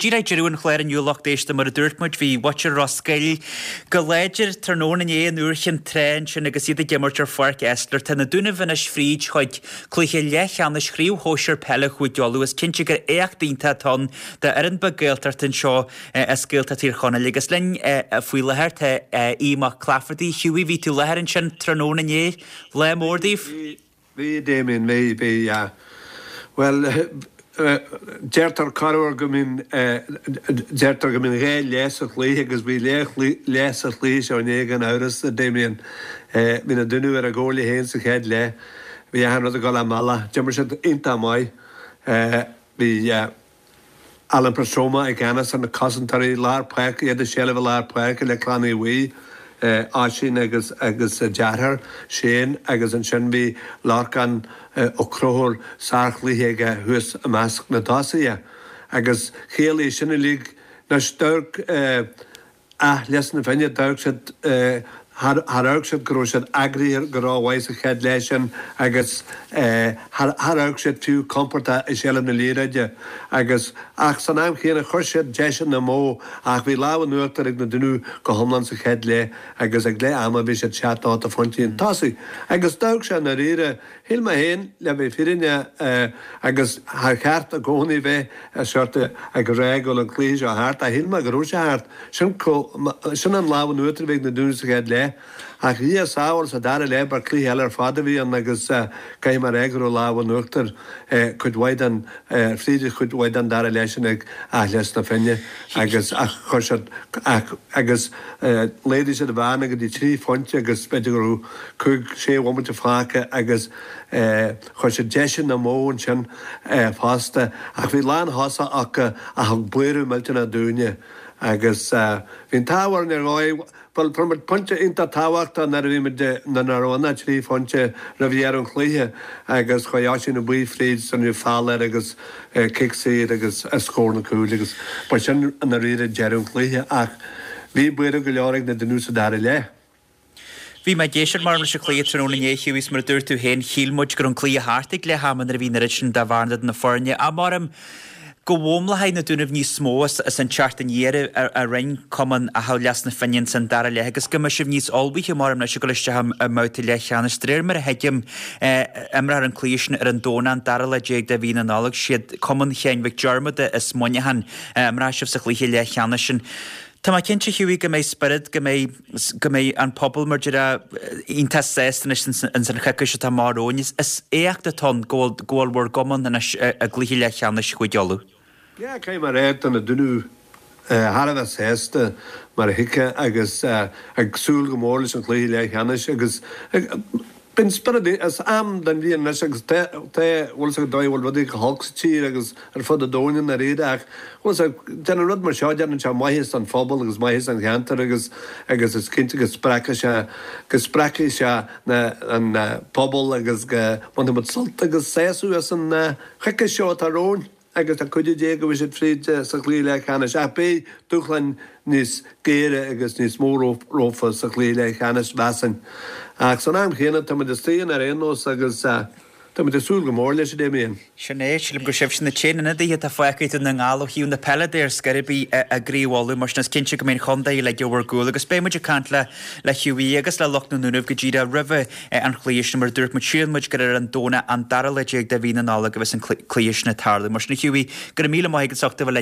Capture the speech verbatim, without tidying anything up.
díreach ag deireadh an chláir inniu lucht éisteachta mar a dúirt muid bhí muintir Ros Goill go láidir tráthnóna inné in Iúr Chinn Trá ansin agus iad ag imirt ar Pháirc Esler. Tá na Dúnaibh anois fríd chuig cluiche leathcheannais Chraobh Shóisir Peile Chúige Uladh. Is cinnte gur éacht iontach atá ann d'fhoireann beag Gaeltachta anseo as Gaeltacht Thír Chonaill agus linn faoi láthair tá Aodh Mac Claifertaigh. Hughie, bhí tú i láthair ansin tráthnóna inné. Lá mór daoibh. Bhí, Damien, bhí, bhí, yeah. Bhuel, deirtear corruair go mbíonn, deirtear go mbíonn dhá leath sa chluiche agus bhí leath sa chluiche seo inné gan amhras, a Damien. Bhí na Dúnaibh ar a gcomhairle féin sa chéad leath. Bhí achan rud ag dul a mbealach. D'imir siad iontach maith. Bhí. Alan Prestoma i gceannas ar na cosantóirí lár páirce, iad i seilbh i lár páirce le Clann Aodha Bhuí, Oisín agus agus a deartháir, Shane, agus ansin bhí Lorcán Ó Conchúir, sárchluiche aige thuas i measc na dtosaithe. Agus chiallaigh sin uilig, anois d'amharc Áth Lios na Finne, d'amharc siad, char amharc siad go raibh siad eagraithe go rómhaith sa chéad leath sin agus char amharc siad fiú compordach i seilbh na liathróide agus, ach san am chéanna chuir siad deiseanna amú ach bhí lámh in uachtar ag na Dúnaibh go hiomlán sa chéad leath agus ag leath ama bhí siad seacht ocht de phointí chun tosaigh agus d'amharc sé i ndáiríre, shíl mé féin, le bheith fírinneach agus char cheart i gcónaí bheith sórt ag rá go bhfuil an cluiche seo thart ach shíl mé go raibh sé thart. Sin sin an lámh in uachtar a bhí ag na Dúnaibh sa chéad leath. Ach Dhia sábháil sa dara leath ba cluiche eile ar fad a bhí ann agus caithfidh mé a rá go raibh lámh in uachtar cuid mhaith den fríd chuid mhaith den dara leath sin ag Áth Lios na Finne agus ach chuir siad ach agus laghdaigh siad an bhearna go dtí trí phointe agus b'fhéidir go raibh cúig sé bhomaite fágtha agus chuir siad deiseanna amú ansin fosta ach bhí lánthosach acu a thug buaireamh millteanach dúinne agus bhí an t-ádh orainn ar dhóigh, bhuel fuair muid pointe iontach tábhachtach nuair a bhí muid, nuair nach raibh ann ach trí phointe roimh dheireadh an chluiche agus chuaigh Oisín Ó Baoill fríd, rinneadh feall air agus cic saor agus scór na cúil agus ba sin i ndáiríre deireadh an chluiche ach bhí buaireamh go leor ag na Dúnaibh sa dara leath. Bhí mé ag éisteacht mar leis an chluiche tráthnóna inné, Hughie, is mar a dúirt tú féin, shíl muid go raibh an cluiche thart ag leath ama nuair a bhí an oiread sin de bhearna idir na foirne. Ach maram go bhfoghlaimeoidh na Dúnaibh níos mó as an teacht aniar a rinne cumann Achadh Lios na Finne ins an dara leath agus go mbeidh sibh níos ullmhaithe maram leis ag dul isteach i mbabhta leathcheannais. De réir mar a thuigim, imreofar an cluiche sin ar an Domhnach, an dara lá déag de mhí na Nollag. Siad Cumann Sheáin Mhic Diarmada as Muineachán a imreoidh sibh sa chluiche leathcheannais sin. Tá mé cinnte, Hughie, go mbeidh spiorad, go mbeidh, go mbeidh an pobal mar déarfá iontach sásta anois ins an choicís atá amach romhainn. Is éacht atá ann go bhfuil, go bhfuil bhur gcumann anois i gcluiche leathcheannais Chúige Uladh. Yeah, caithfidh mé a rá, tá na Dúnaibh thar a bheith sásta mar a thuigfeá agus ag súil go mór leis an chluiche leathcheannais agus Bíonn spiorad is am den bhliain anois agus tá, tá, bhfuil fhios agat an dóigh a bhfuil rudaí go holc sa tír agus ar fud an domhain i ndáiríre ach, bhfuil fhios agat, déanann rud mar seo, déanann sé maitheas don phobal agus maitheas don cheantar agus, agus is cinnte go spreagfaidh sé, go spreagfaidh sé na, an pobal agus go mbainfidh muid sult agus sásamh as an choicís seo atá romhainn. Agus le cuidiú Dé go mbeidh siad fríd sa chluiche leathcheannais. Ach beidh dúshláin níos géire agus níos mó rompu sa chluiche leathcheannais, mheasfainn. Ach san am chéanna, tá muid istigh ann ar aon nós agus tá muid ag súil go mór leis, a Damien. Sin é. Sílim gur sibhse na t-aon ionadaithe atá fágtha ag Dún na nGall ó thaobh na peile de ar scor ar bith i gCraobh Uladh. Mar sin is cinnte go mbeidh an chontae uilig ar bhur gcúl agus beidh muid ag caint le le Hughie agus le lucht na nDúnaibh go díreach roimhe an chluiche sin. Mar a dúirt muid, síleann muid gur ar an Domhnach an dara lá déag de mhí na Nollag a bheas an cluiche sin ag tarlú. Mar sin a Hughie, go raibh míle maith agat as ucht a bheith linn.